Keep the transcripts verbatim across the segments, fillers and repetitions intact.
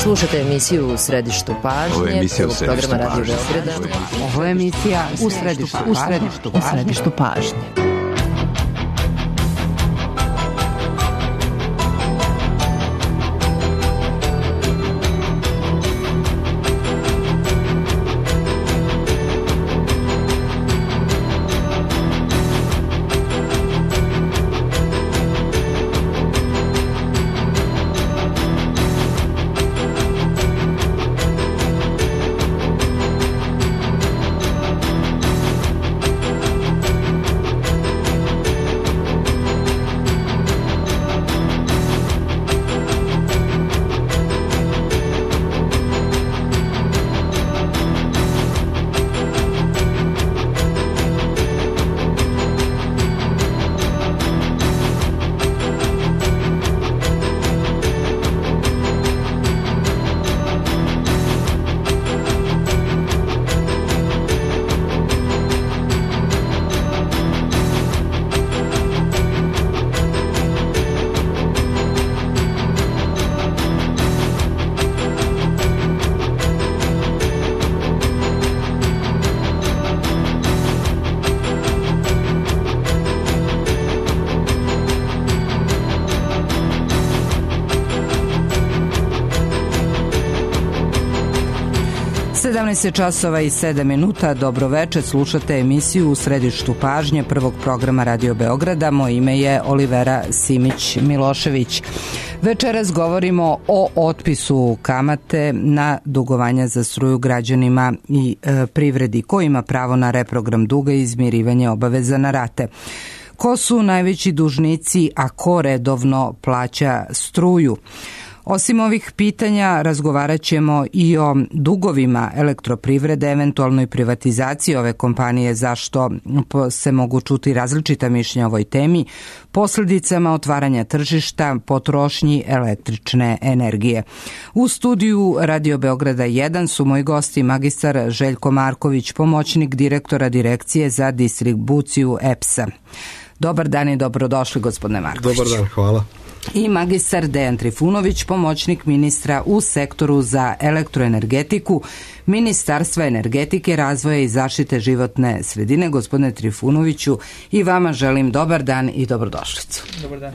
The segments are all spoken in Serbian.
Slušajte emisiju U središtu pažnje. Ovo je emisija U središtu programa Radio pažnje. Beograda. Ovo je emisija U središtu, u središtu, u središtu pažnje. sedamnaest časova i sedam minuta, dobro večer, slušate emisiju U središtu pažnje prvog programa Radio Beograda. Moje ime je Olivera Simić-Milošević. Večeras govorimo o otpisu kamate na dugovanja za struju građanima i e, privredi. Ko ima pravo na reprogram duga i izmirivanje obaveza na rate? Ko su najveći dužnici, a ko redovno plaća struju? Osim ovih pitanja, razgovarat ćemo i o dugovima elektroprivrede, eventualnoj privatizaciji ove kompanije, zašto se mogu čuti različita mišljenja o ovoj temi, posljedicama otvaranja tržišta, potrošnji električne energije. U studiju Radio Beograda jedan su moji gosti magistar Željko Marković, pomoćnik direktora Direkcije za distribuciju E P S-a. Dobar dan i dobrodošli, gospodine Marković. Dobar dan, hvala. I magistar Dejan Trifunović, pomoćnik ministra u sektoru za elektroenergetiku Ministarstva energetike, razvoja i zaštite životne sredine. Gospodine Trifunoviću, i vama želim dobar dan i dobrodošlicu. Dobar dan.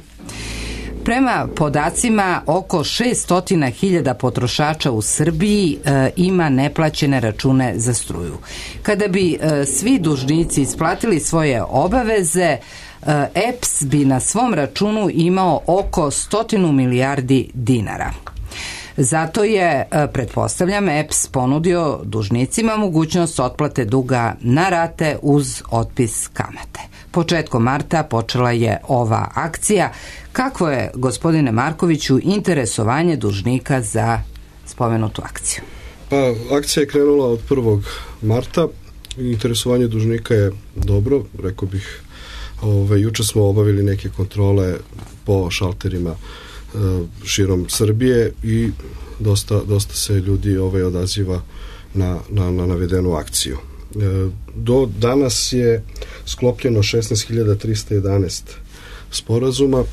Prema podacima, oko šesto hiljada potrošača u Srbiji e, ima neplaćene račune za struju. Kada bi e, svi dužnici isplatili svoje obaveze, E P S bi na svom računu imao oko stotinu milijardi dinara. Zato je, pretpostavljam, E P S ponudio dužnicima mogućnost otplate duga na rate uz otpis kamate. Početkom marta počela je ova akcija. Kakvo je, gospodine Markoviću, interesovanje dužnika za spomenutu akciju? Pa, akcija je krenula od prvog marta. Interesovanje dužnika je dobro, rekao bih. Ove, juče smo obavili neke kontrole po šalterima e, širom Srbije i dosta, dosta se ljudi ove, odaziva na, na, na navedenu akciju. E, do danas je sklopljeno šesnaest hiljada trista jedanaest sporazuma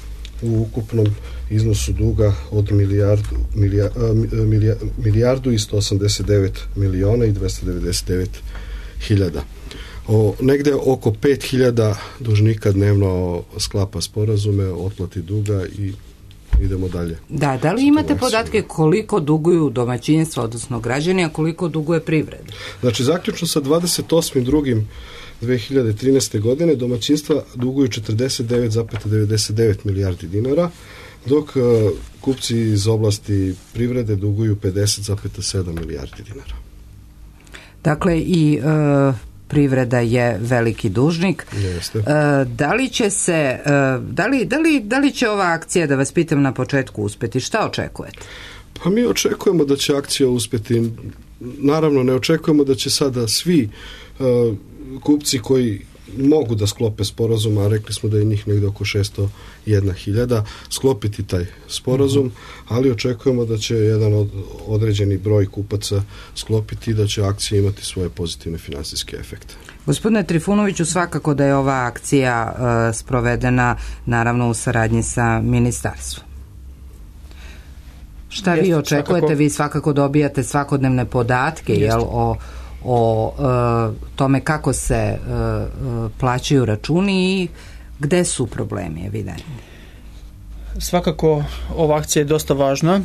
u ukupnom iznosu duga od milijardu, milija, milija, milijardu i sto osamdeset devet miliona i dvesta devedeset devet hiljada. O, negde oko pet hiljada dužnika dnevno sklapa sporazume o otplati duga i idemo dalje. Da, da li imate podatke koliko duguju domaćinstva, odnosno građani, a koliko duguje privreda? Znači, zaključno sa dvadeset osmog drugog dve hiljade trinaeste. godine domaćinstva duguju četrdeset devet zarez devedeset devet milijardi dinara, dok uh, kupci iz oblasti privrede duguju pedeset zarez sedam milijardi dinara. Dakle, i uh, privreda je veliki dužnik. Jeste. E, da li će se, e, da li, da li, da li će ova akcija, da vas pitam na početku, uspeti? Šta očekujete? Pa mi očekujemo da će akcija uspeti. Naravno, ne očekujemo da će sada svi e, kupci koji mogu da sklope sporazum, a rekli smo da je njih negdje oko šesto jedna hiljada, sklopiti taj sporazum, mm-hmm. ali očekujemo da će jedan od, određeni broj kupaca sklopiti i da će akcija imati svoje pozitivne finansijske efekte. Gospodine Trifunoviću, svakako da je ova akcija uh, sprovedena naravno u saradnji sa ministarstvom. Šta vi očekujete? Svakako, vi svakako dobijate svakodnevne podatke jel, o, o uh, tome kako se uh, plaćaju računi i gde su problemi evidentni. Svakako ova akcija je dosta važna.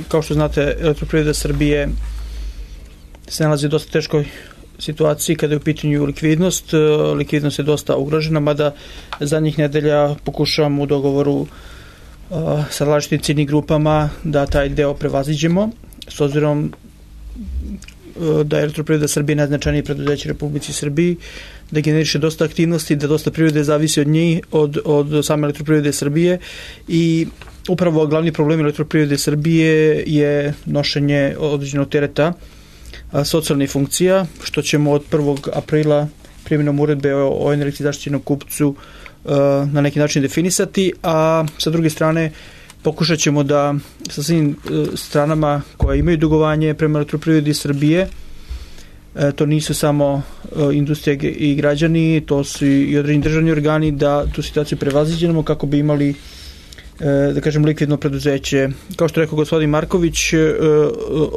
Kao što znate, Elektroprivreda Srbije se nalazi u dosta teškoj situaciji kada je u pitanju likvidnost. Likvidnost je dosta ugrožena, mada zadnjih nedelja pokušavamo u dogovoru uh, sa različitim ciljnim grupama da taj deo prevaziđemo, s obzirom uh, da je Elektroprivreda Srbije najznačajnije preduzeće Republici Srbiji, da generiše dosta aktivnosti, da dosta privrede zavisi od njih, od, od same Elektroprivrede Srbije i upravo glavni problem Elektroprivrede Srbije je nošenje određenog tereta socijalnih funkcija, što ćemo od prvog aprila primjenom uredbe o, o energetski zaštićenom kupcu uh, na neki način definisati, a sa druge strane pokušat ćemo da sa svim uh, stranama koje imaju dugovanje prema Elektroprivredi Srbije, uh, to nisu samo uh, industrija i građani, to su i određeni državni organi, da tu situaciju prevaziđemo kako bi imali uh, da kažem likvidno preduzeće. Kao što rekao gospodin Marković, uh,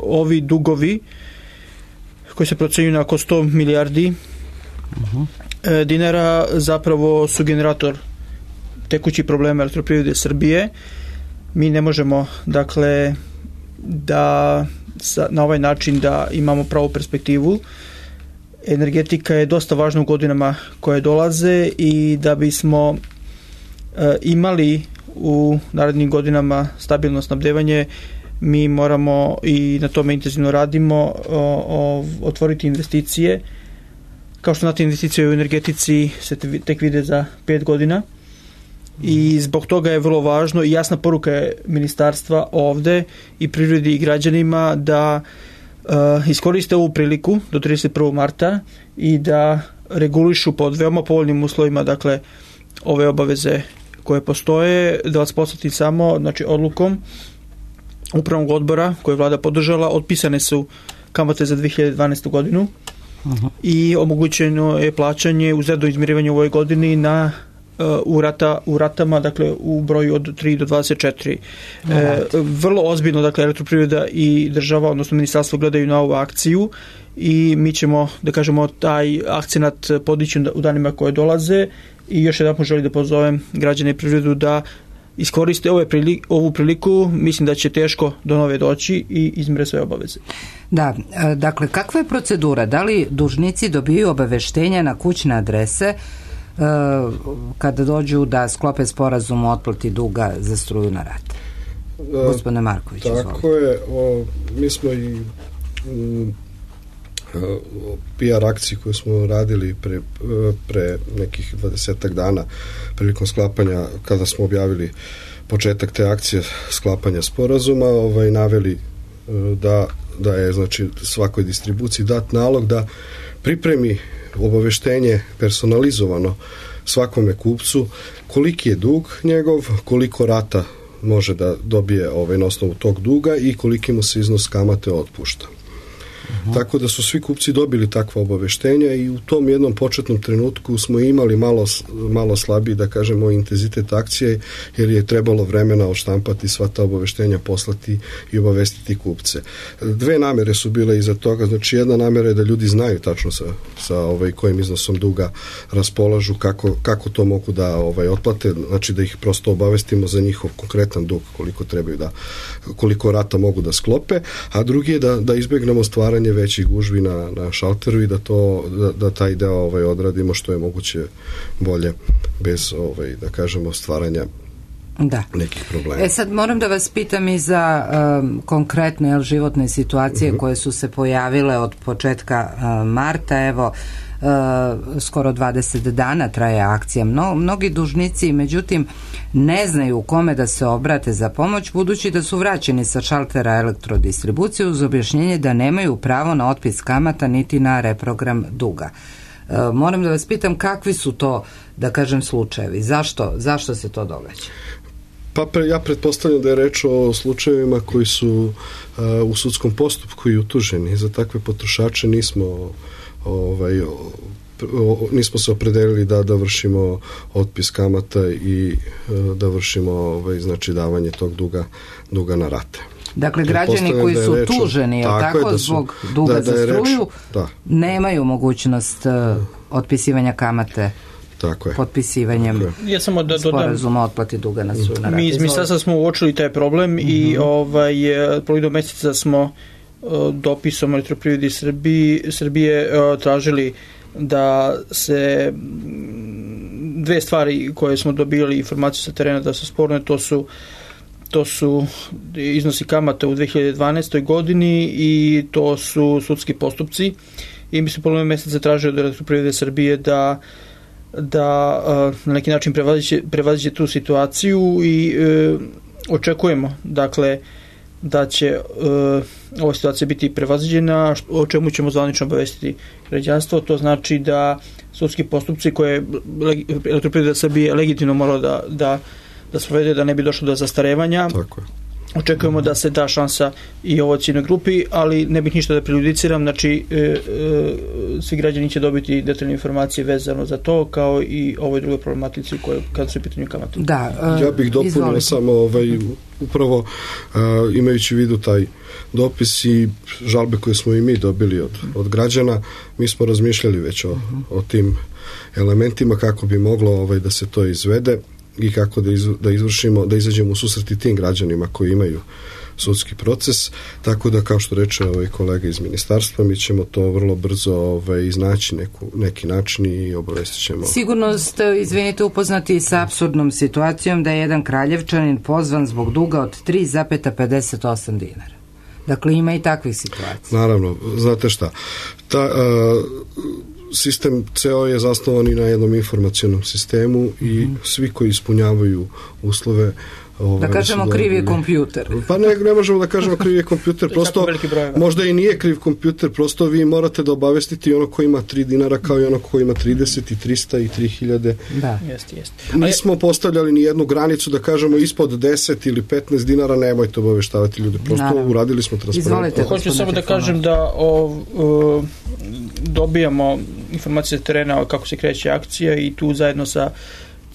ovi dugovi koji se procenjuju na oko sto milijardi uh-huh. dinara zapravo su generator tekućih problema Elektroprivrede Srbije. Mi ne možemo dakle da sa, na ovaj način da imamo pravu perspektivu. Energetika je dosta važna u godinama koje dolaze i da bismo uh, imali u narednim godinama stabilno snabdevanje, mi moramo i na tome intenzivno radimo o, o, otvoriti investicije. Kao što znate, investicije u energetici se te, tek vide za pet godina i zbog toga je vrlo važno i jasna poruka je ministarstva ovde i privredi i građanima da uh, iskoriste ovu priliku do trideset prvog marta i da regulišu pod veoma povoljnim uslovima dakle ove obaveze koje postoje. Da vas posjetim samo, znači odlukom Upravnog odbora koje je vlada podržala, otpisane su kamate za dve hiljade dvanaestu godinu uh-huh. i omogućeno je plaćanje uz redovno izmirivanje u ovoj godini na uh, u, rata, u ratama, dakle u broju od tri do dvadeset četiri. Uh-huh. E, vrlo ozbiljno, dakle, Elektroprivreda i država, odnosno ministarstvo gledaju na ovu akciju i mi ćemo, da kažemo, taj akcenat podići u danima koje dolaze i još jedan želim da pozovem građane i privredu da iskoriste ove priliku, ovu priliku, mislim da će teško do nove doći i izmire sve obaveze. Da, dakle, kakva je procedura? Da li dužnici dobiju obaveštenja na kućne adrese uh, kada dođu da sklope sporazum o otplati duga za struju na rate? Uh, Gospodine Marković, tako izvolite. je, o, mi smo i um, P R akciji koju smo radili pre, pre nekih dvadesetak dana prilikom sklapanja, kada smo objavili početak te akcije sklapanja sporazuma, ovaj, naveli da, da je znači svakoj distribuciji dat nalog da pripremi obaveštenje personalizovano svakome kupcu koliki je dug njegov, koliko rata može da dobije ovaj, na osnovu tog duga i koliki mu se iznos kamate otpušta. Uh-huh. Tako da su svi kupci dobili takva obaveštenja i u tom jednom početnom trenutku smo imali malo, malo slabiji, da kažemo, intenzitet akcije, jer je trebalo vremena odštampati sva ta obaveštenja, poslati i obavestiti kupce. Dve namere su bile iza toga, znači jedna namera je da ljudi znaju tačno sa, sa ovaj, kojim iznosom duga raspolažu, kako, kako to mogu da ovaj, otplate, znači da ih prosto obavestimo za njihov konkretan dug, koliko trebaju da, koliko rata mogu da sklope, a drugi je da, da izbegnemo stvaranje većih gužvi na, na šalteru i da to da, da taj deo ovaj odradimo što je moguće bolje bez ovaj da kažemo stvaranja da. nekih problema. E sad moram da vas pitam i za um, konkretne jel, životne situacije uh-huh. koje su se pojavile od početka uh, marta, evo Uh, skoro dvadeset dana traje akcija. Mno, mnogi dužnici, međutim, ne znaju kome da se obrate za pomoć, budući da su vraćeni sa šaltera elektrodistribucije uz objašnjenje da nemaju pravo na otpis kamata niti na reprogram duga. Uh, moram da vas pitam kakvi su to, da kažem, slučajevi? Zašto, zašto se to događa? Pa pre, ja pretpostavljam da je reč o slučajevima koji su uh, u sudskom postupku i utuženi. Za takve potrošače nismo ovaj, o, o, nismo se opredelili da da vršimo otpis kamata i e, da vršimo ovaj, znači davanje tog duga, duga na rate. Dakle, građani koji su reč, tuženi, tako, tako da su, zbog duga da, za da struju, reč, da. nemaju mogućnost uh, otpisivanja kamate. Tako je. Potpisivanjem ja samo da sporazuma o otplati duga na struju. Mi iz ministarstva smo uočili taj problem mm-hmm. i ovaj, polovinu meseca smo uh, dopisom Elektroprivredi Srbije, Srbije uh, tražili da se dve stvari koje smo dobili informaciju sa terena da su sporne, to su to su iznosi kamata u dve hiljade dvanaestoj godini i to su sudski postupci i mi smo polovinu meseca tražili od Elektroprivrede Srbije da da uh, na neki način prevaziće, prevaziće tu situaciju i uh, očekujemo dakle da će uh, ova situacija biti prevaziđena, o čemu ćemo zvanično obavestiti građanstvo. To znači da sudski postupci koje Elektroprivreda Srbije legitimno mora da, da, da sprovede, da ne bi došlo do zastarevanja. Tako je. Očekujemo da se da šansa i ovoj ciljnoj grupi, ali ne bih ništa da prejudiciram, znači e, e, svi građani će dobiti detaljne informacije vezano za to, kao i ovoj drugoj problematici koje, kada su u pitanju kamate. Da, uh, ja bih dopunio izvolite. samo ovaj, upravo uh, imajući u vidu taj dopis i žalbe koje smo i mi dobili od, od građana, mi smo razmišljali već o, uh-huh. o tim elementima kako bi moglo ovaj, da se to izvede i kako da, iz, da izvršimo, da izađemo u susret i tim građanima koji imaju sudski proces, tako da kao što reče ovaj kolega iz ministarstva, mi ćemo to vrlo brzo ovaj, iznaći neku, neki način i obavestit ćemo. Sigurno ste, izvinite, upoznati sa apsurdnom situacijom da je jedan Kraljevčanin pozvan zbog duga od tri zarez pedeset osam dinara. Dakle, ima i takvih situacija. Naravno, znate šta, ta uh, sistem ceo je zasnovan i na jednom informacionom sistemu i mm-hmm. svi koji ispunjavaju uslove da kažemo kriv je kompjuter. Pa ne, ne možemo da kažemo kriv je kompjuter, prosto možda i nije kriv kompjuter, prosto vi morate da obavestiti ono ko ima tri dinara kao i ono ko ima trideset i trista i tri hiljade. Da. Jeste, jeste. Nismo postavljali ni jednu granicu da kažemo ispod deset ili petnaest dinara, nemojte obaveštavati ljude, prosto Naravno. uradili smo transparentno. Hoću samo da kažem da o, o, dobijamo informacije sa terena kako se kreće akcija i tu zajedno sa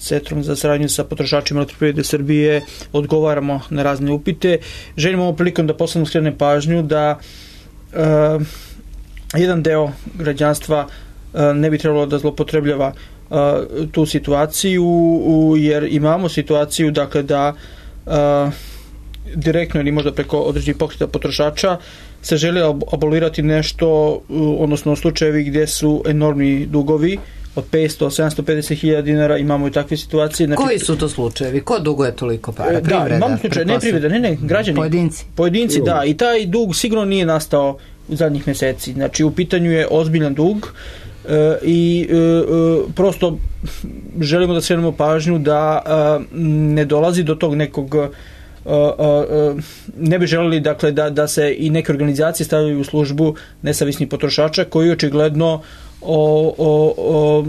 Centrom za saradnju sa potrošačima Elektroprivrede Srbije odgovaramo na razne upite. Želimo ovom prilikom da posebno skrenem pažnju da uh, jedan deo građanstva uh, ne bi trebalo da zlopotrebljava uh, tu situaciju, uh, jer imamo situaciju dakle da uh, direktno ili možda preko određenih pokreta potrošača se želi abolirati nešto, uh, odnosno slučajevi gdje su enormni dugovi od petsto do sedamsto pedeset hiljada dinara, imamo i takve situacije. Znači, koji su to slučajevi? Ko duguje toliko para? Privreda? Da, imamo slučaje, ne privreda, ne, ne, građani. Pojedinci. Pojedinci, da, i taj dug sigurno nije nastao u zadnjih meseci. Znači, u pitanju je ozbiljan dug e, i e, prosto želimo da skrenemo pažnju da e, ne dolazi do tog nekog e, e, ne bi želeli dakle, da, da se i neke organizacije stavljaju u službu nesavisnih potrošača koji očigledno o, o, o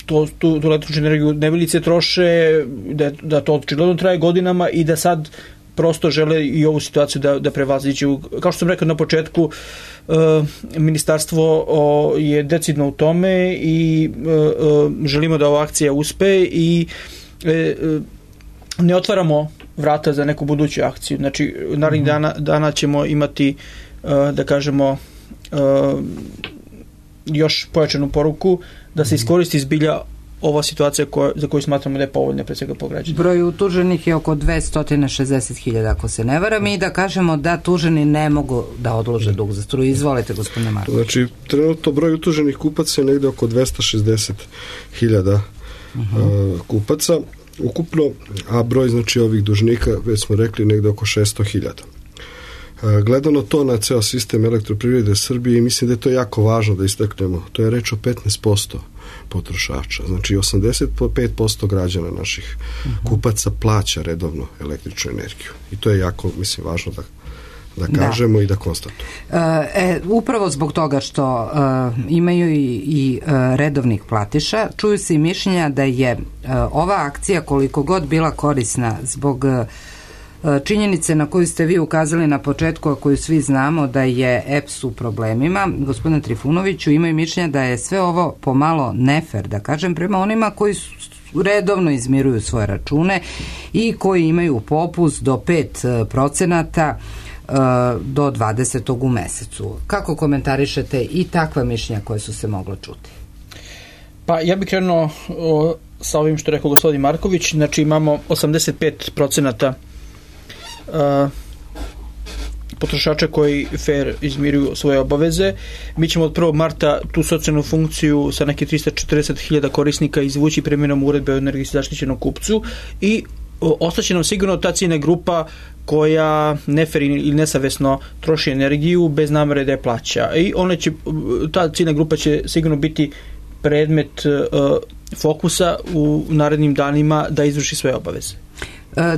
to, tu, tu električnu energiju nevilice troše, da, da to očigledno traje godinama i da sad prosto žele i ovu situaciju da, da prevaziđu. Kao što sam rekao na početku, e, ministarstvo o, je decidno u tome i e, e, želimo da ova akcija uspe i e, e, ne otvaramo vrata za neku buduću akciju. Znači, narednih mm-hmm. dana, dana ćemo imati, e, da kažemo, e, još pojačanu poruku da se iskoristi zbilja ova situacija koja, za koju smatramo da je povoljna pre svega po građanima. Broj utuženih je oko dvesta šezdeset hiljada ako se ne varam i da kažemo da tuženi ne mogu da odlože dug za struju. Izvolite, gospodine Marković. Znači, trenutno broj utuženih kupaca je negde oko dvesta šezdeset hiljada uh-huh. uh, kupaca ukupno, a broj znači ovih dužnika, već smo rekli, negde oko šesto hiljada. Gledano to na ceo sistem Elektroprivrede Srbije, mislim da je to jako važno da istaknemo. To je reč o petnaest posto potrošača. Znači osamdeset pet posto građana naših uh-huh. kupaca plaća redovno električnu energiju. I to je jako, mislim, važno da da kažemo da. i da konstatujemo. E, upravo zbog toga što uh, imaju i, i uh, redovnih platiša, čuju se i mišljenja da je uh, ova akcija koliko god bila korisna zbog uh, činjenice na koju ste vi ukazali na početku, a koju svi znamo da je E P S u problemima, gospodine Trifunoviću, imaju mišljenja da je sve ovo pomalo nefer, da kažem, prema onima koji su redovno izmiruju svoje račune i koji imaju popust do pet procenata do dvadesetog u mesecu. Kako komentarišete i takva mišljenja koje su se mogle čuti? Pa ja bih krenuo o, sa ovim što je rekao gospodin Marković. Znači imamo osamdeset pet procenata uh, potrošača koji fair izmiruju svoje obaveze. Mi ćemo od prvog marta tu socijalnu funkciju sa neke trista četrdeset hiljada korisnika izvući primjenom uredbe o energetski zaštićenom kupcu i o, ostaće nam sigurno ta ciljna grupa koja nefer ili nesavesno troši energiju bez namere da je plaća. I ona će, ta ciljna grupa će sigurno biti predmet uh, fokusa u narednim danima da izvrši svoje obaveze.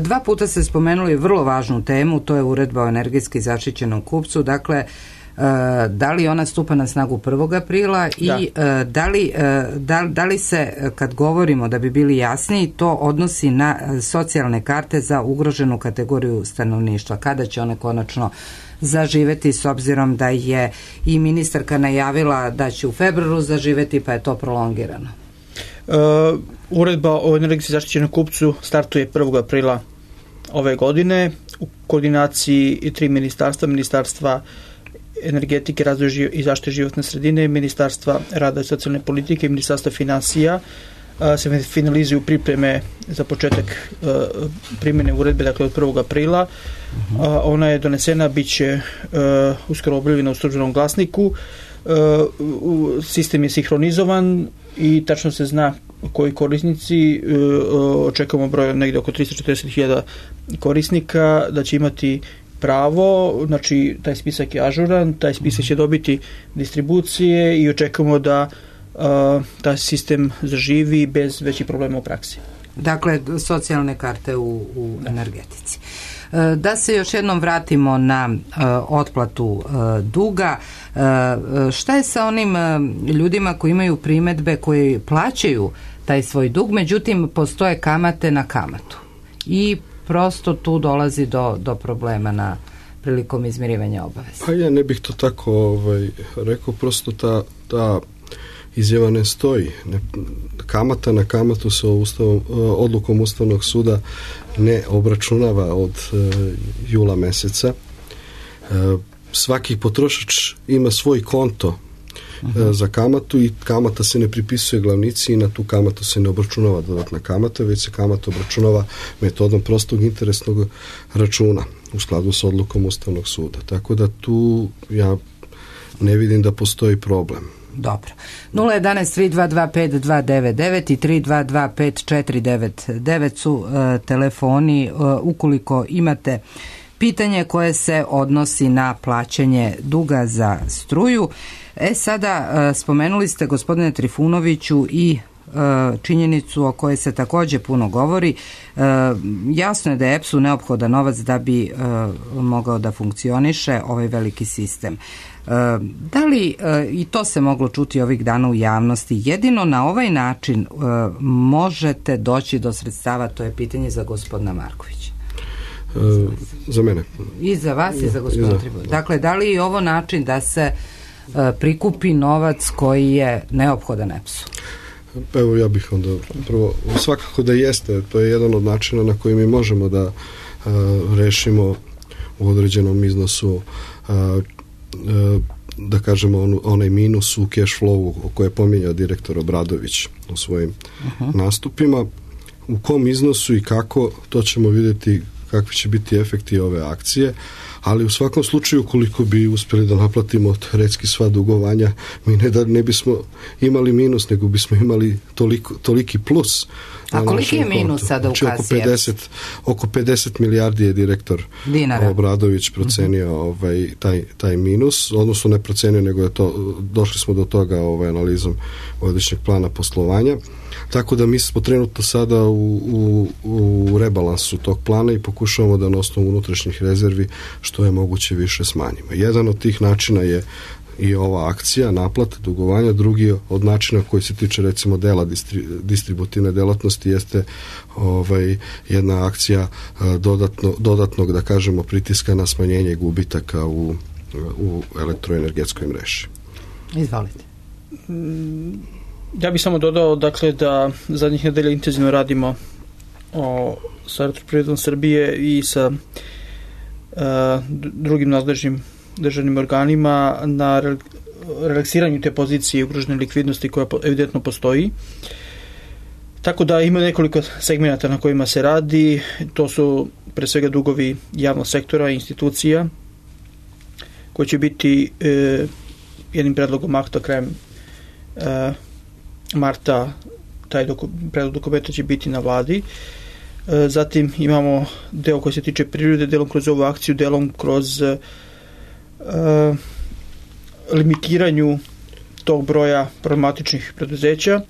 Dva puta ste spomenuli vrlo važnu temu, to je uredba o energetski zaštićenom kupcu. Dakle, da li ona stupa na snagu prvog aprila i da. Da, li, da, da li se, kad govorimo da bi bili jasniji, to odnosi na socijalne karte za ugroženu kategoriju stanovništva? Kada će one konačno zaživeti, s obzirom da je i ministarka najavila da će u februaru zaživeti, pa je to prolongirano? Uh, uredba o energetski zaštićenom kupcu startuje prvog aprila ove godine u koordinaciji tri ministarstva, ministarstva energetike, razvoja i zaštite životne sredine, ministarstva rada i socijalne politike i ministarstva finansija. Uh, se finalizuju pripreme za početak uh, primjene uredbe, dakle od prvog aprila. Uh, ona je donesena, bit će uh, uskoro objavljena u Službenom glasniku. Uh, sistem je sinhronizovan i tačno se zna koji korisnici, uh, očekujemo broj negdje oko trista četrdeset hiljada korisnika da će imati pravo, znači taj spisak je ažuran, taj spisak će dobiti distribucije i očekujemo da uh, taj sistem zaživi bez većih problema u praksi. Dakle, socijalne karte u, u energetici. Da se još jednom vratimo na uh, otplatu uh, duga. Uh, šta je sa onim uh, ljudima koji imaju primedbe, koji plaćaju taj svoj dug, međutim postoje kamate na kamatu i prosto tu dolazi do, do problema na prilikom izmirivanja obaveza? Pa ja ne bih to tako ovaj, rekao, prosto ta, ta izjava ne stoji. Ne, kamata na kamatu se ustavom, odlukom Ustavnog suda ne obračunava od uh, jula meseca. Uh, svaki potrošač ima svoj konto uh, uh-huh. za kamatu i kamata se ne pripisuje glavnici i na tu kamatu se ne obračunava dodatna kamata, već se kamata obračunava metodom prostog interesnog računa u skladu sa odlukom Ustavnog suda. Tako da tu ja ne vidim da postoji problem. Dobro. nula jedanaest tri dva dva pet dva devet devet i tri dva dva pet četiri devet devet su uh, telefoni uh, ukoliko imate pitanje koje se odnosi na plaćanje duga za struju. E sada, uh, spomenuli ste, gospodine Trifunoviću, i uh, činjenicu o kojoj se također puno govori. Uh, jasno je da je E P S-u neophodan novac da bi uh, mogao da funkcioniše ovaj veliki sistem. Da li, i to se moglo čuti ovih dana u javnosti, jedino na ovaj način možete doći do sredstava? To je pitanje za gospodina Markovića. E, za mene. I za vas i za gospodina Trifunovića. Dakle, da li je ovo način da se prikupi novac koji je neophodan E P S-u? Evo, ja bih onda prvo, svakako da jeste, to je jedan od načina na koji mi možemo da a, rešimo u određenom iznosu a, da kažemo on, onaj minus u cash flowu o koje je pominjao direktor Obradović u svojim uh-huh. nastupima. U kom iznosu i kako, to ćemo vidjeti kakvi će biti efekti ove akcije, ali u svakom slučaju koliko bi uspjeli da naplatimo teoretski sva dugovanja, mi ne da ne bismo imali minus, nego bismo imali toliko, toliki plus. A koliki je minus sada u kasi? Oko pedeset, oko pedeset milijardi je direktor Dinara. Obradović procenio uh-huh. ovaj, taj, taj minus, odnosno ne procenio, nego je to, došli smo do toga ovaj, analizom godišnjeg plana poslovanja. Tako da mi smo trenutno sada u, u, u rebalansu tog plana i pokušavamo da na osnovu unutrašnjih rezervi što je moguće više smanjimo. Jedan od tih načina je i ova akcija, naplata dugovanja, drugi od načina koji se tiče recimo dela distri, distributivne delatnosti jeste ovaj, jedna akcija dodatno, dodatnog, da kažemo, pritiska na smanjenje gubitaka u, u elektroenergetskoj mreži. Izvolite. Ja bih samo dodao, dakle, da zadnjih nedelja intenzivno radimo o, sa Elektroprivredom Srbije i sa uh, drugim nadležnim državnim organima na re, relaksiranju te pozicije ugrožene likvidnosti koja evidentno postoji. Tako da ima nekoliko segmenata na kojima se radi. To su pre svega dugovi javnog sektora i institucija koji će biti e, jednim predlogom akta krajem e, marta. Taj doku, predlog dokumenta će biti na vladi. E, zatim imamo deo koji se tiče prirode, delom kroz ovu akciju, delom kroz e, limitiranju tog broja problematičnih preduzeća.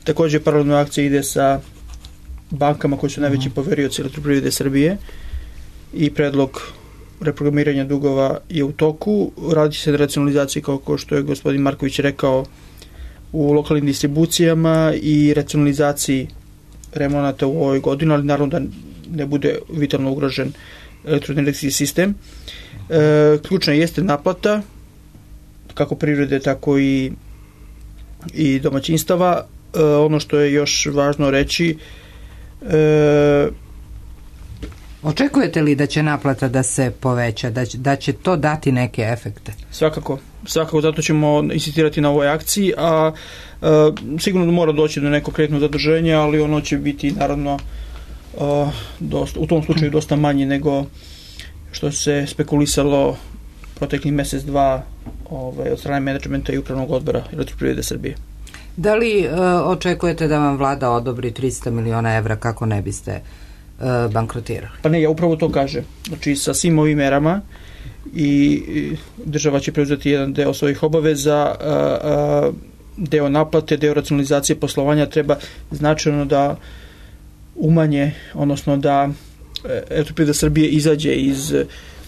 Također paralelna akcija ide sa bankama koji su najveći poverioci Elektroprivrede Srbije i predlog reprogramiranja dugova je u toku. Radi se na racionalizaciji, kao što je gospodin Marković rekao, u lokalnim distribucijama i racionalizaciji remonata u ovoj godini, ali naravno da ne bude vitalno ugrožen elektroenergetski sistem. E, ključna jeste naplata, kako privrede, tako i, i domaćinstava. E, ono što je još važno reći, e, očekujete li da će naplata da se poveća, da će, da će to dati neke efekte? Svakako, svakako, zato ćemo insistirati na ovoj akciji, a, a sigurno mora doći do nekog kreditnog zaduženja, ali ono će biti naravno a, dosta, u tom slučaju dosta manje nego što se spekulisalo proteklih mesec, dva ovaj, od strane menadžmenta i upravnog odbora Elektroprivrede Srbije. Da li e, očekujete da vam vlada odobri tristo miliona evra kako ne biste e, bankrotirali? Pa ne, ja upravo to kažem. Znači, sa svim ovim merama i država će preuzeti jedan deo svojih obaveza, a, a, deo naplate, deo racionalizacije poslovanja treba značajno da umanje, odnosno da Elektroprivreda Srbije izađe iz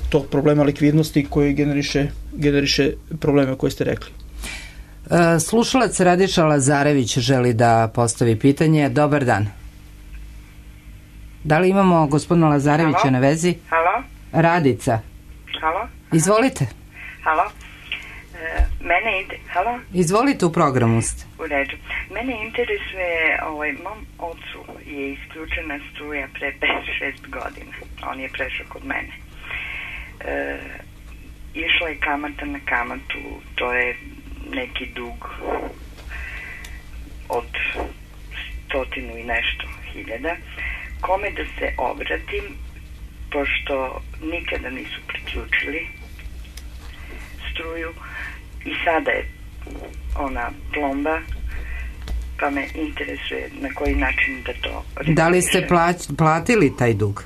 tog problema likvidnosti koji generiše, generiše probleme koje ste rekli. Slušalac Radiša Lazarević želi da postavi pitanje. Dobar dan. Da li imamo gospodina Lazarevića Halo? Na vezi? Halo? Radica. Halo? Izvolite. Halo? E, mene ide... Halo? Izvolite, u programu ste. U redu. Mene interesuje, ovaj, mom ocu je isključena struja pre pet šest godina. On je prešao kod mene. E, išla je kamata na kamatu, to je neki dug od stotinu i nešto hiljada. Kome da se obratim, pošto nikada nisu priključili struju i sada je ona plomba, pa me interesuje na koji način da to rešiše. Da li ste plać, platili taj dug?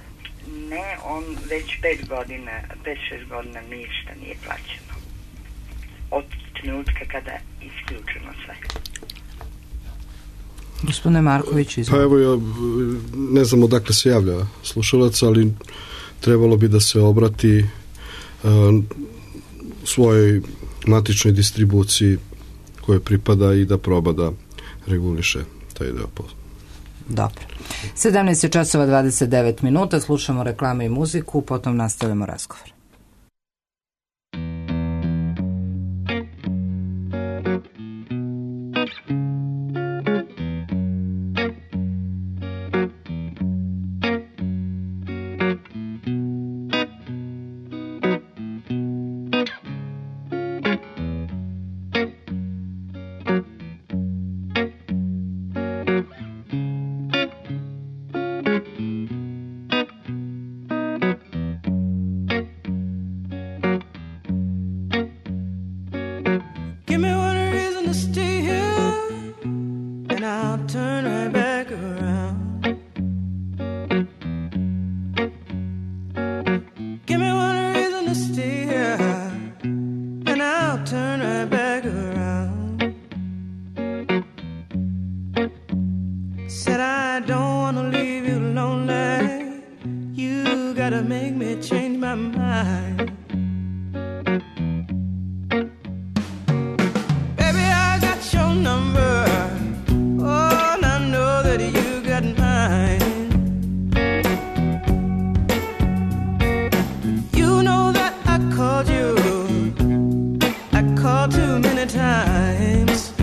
Ne, on već pet godina, pet šest godina ništa nije plaćeno. Od trenutka kada je isključeno sve. Gospodine Marković, izvolite. Pa evo, ja ne znam odakle se javlja slušalac, ali trebalo bi da se obrati uh, svojoj matičnoj distribuciji koje pripada i da proba da reguliše taj deo posla. Dobro. sedamnaest časova dvadeset devet minuta, slušamo reklame i muziku, potom nastavljamo razgovor. Too many times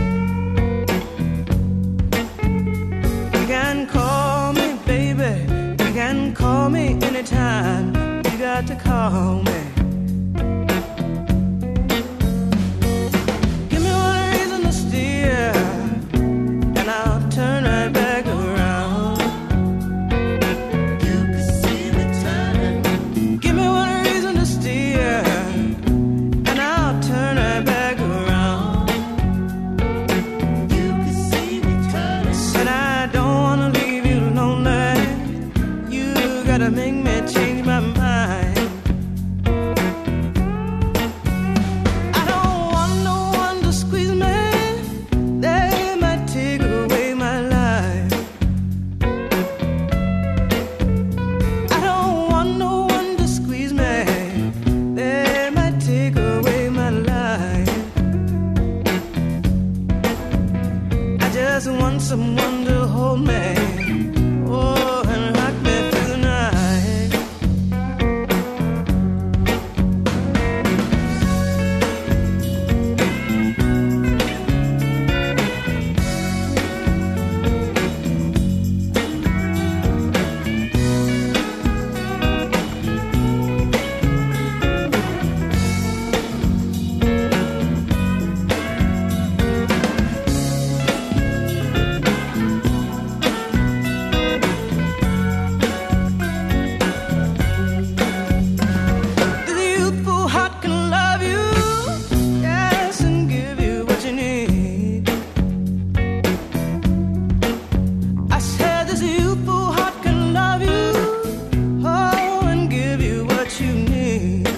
anytime you got to call me. Give me one reason to steer, and I'll turn right back around. You can see me turning. Give me one reason to steer, and I'll turn right back around. You can see me turning. Said I don't wanna leave you lonely. You gotta make me change my mind. I don't want no one to squeeze me. They might take away my life. I don't want no one to squeeze me. They might take away my life. I just want someone to hold me. Oh, and rock me through the night. The youthful heart can love you, yes, and give you what you need. I said this youthful heart can love you, oh, and give you what you need.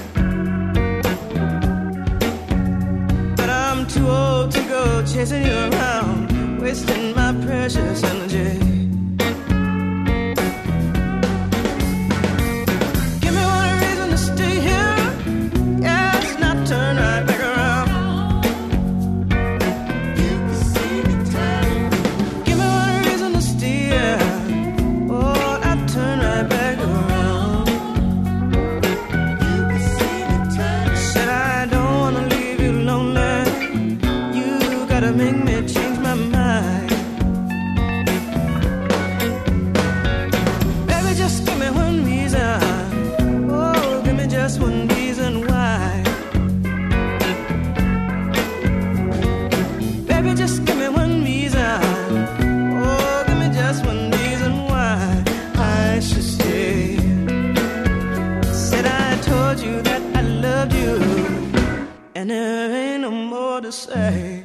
But I'm too old to go chasing you around, wasting my precious energy. Give me one reason to stay here, yes, not turn right back around. You can see me turning. Give me one reason to steer, oh, I'll turn right back around. You can see me turning. Said I don't wanna leave you lonely. You gotta make me change my mind. Baby, just give me one reason. Oh, give me just one reason why. Baby, just give me one reason. Oh, give me just one reason why I should stay. Said I told you that I loved you, and there ain't no more to say.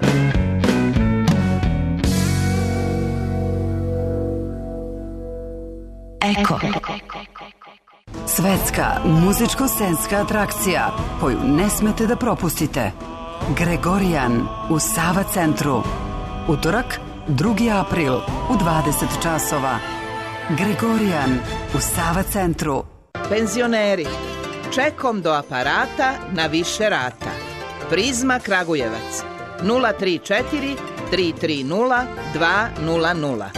Eko. Svetska muzičko-scenska atrakcija koju ne smete da propustite. Gregorijan u Sava centru. Utorak, drugi april u dvadeset časova. Gregorijan u Sava centru. Penzioneri, čekom do aparata na više rata. Prizma Kragujevac nula tri četiri tri tri nula dva nula nula.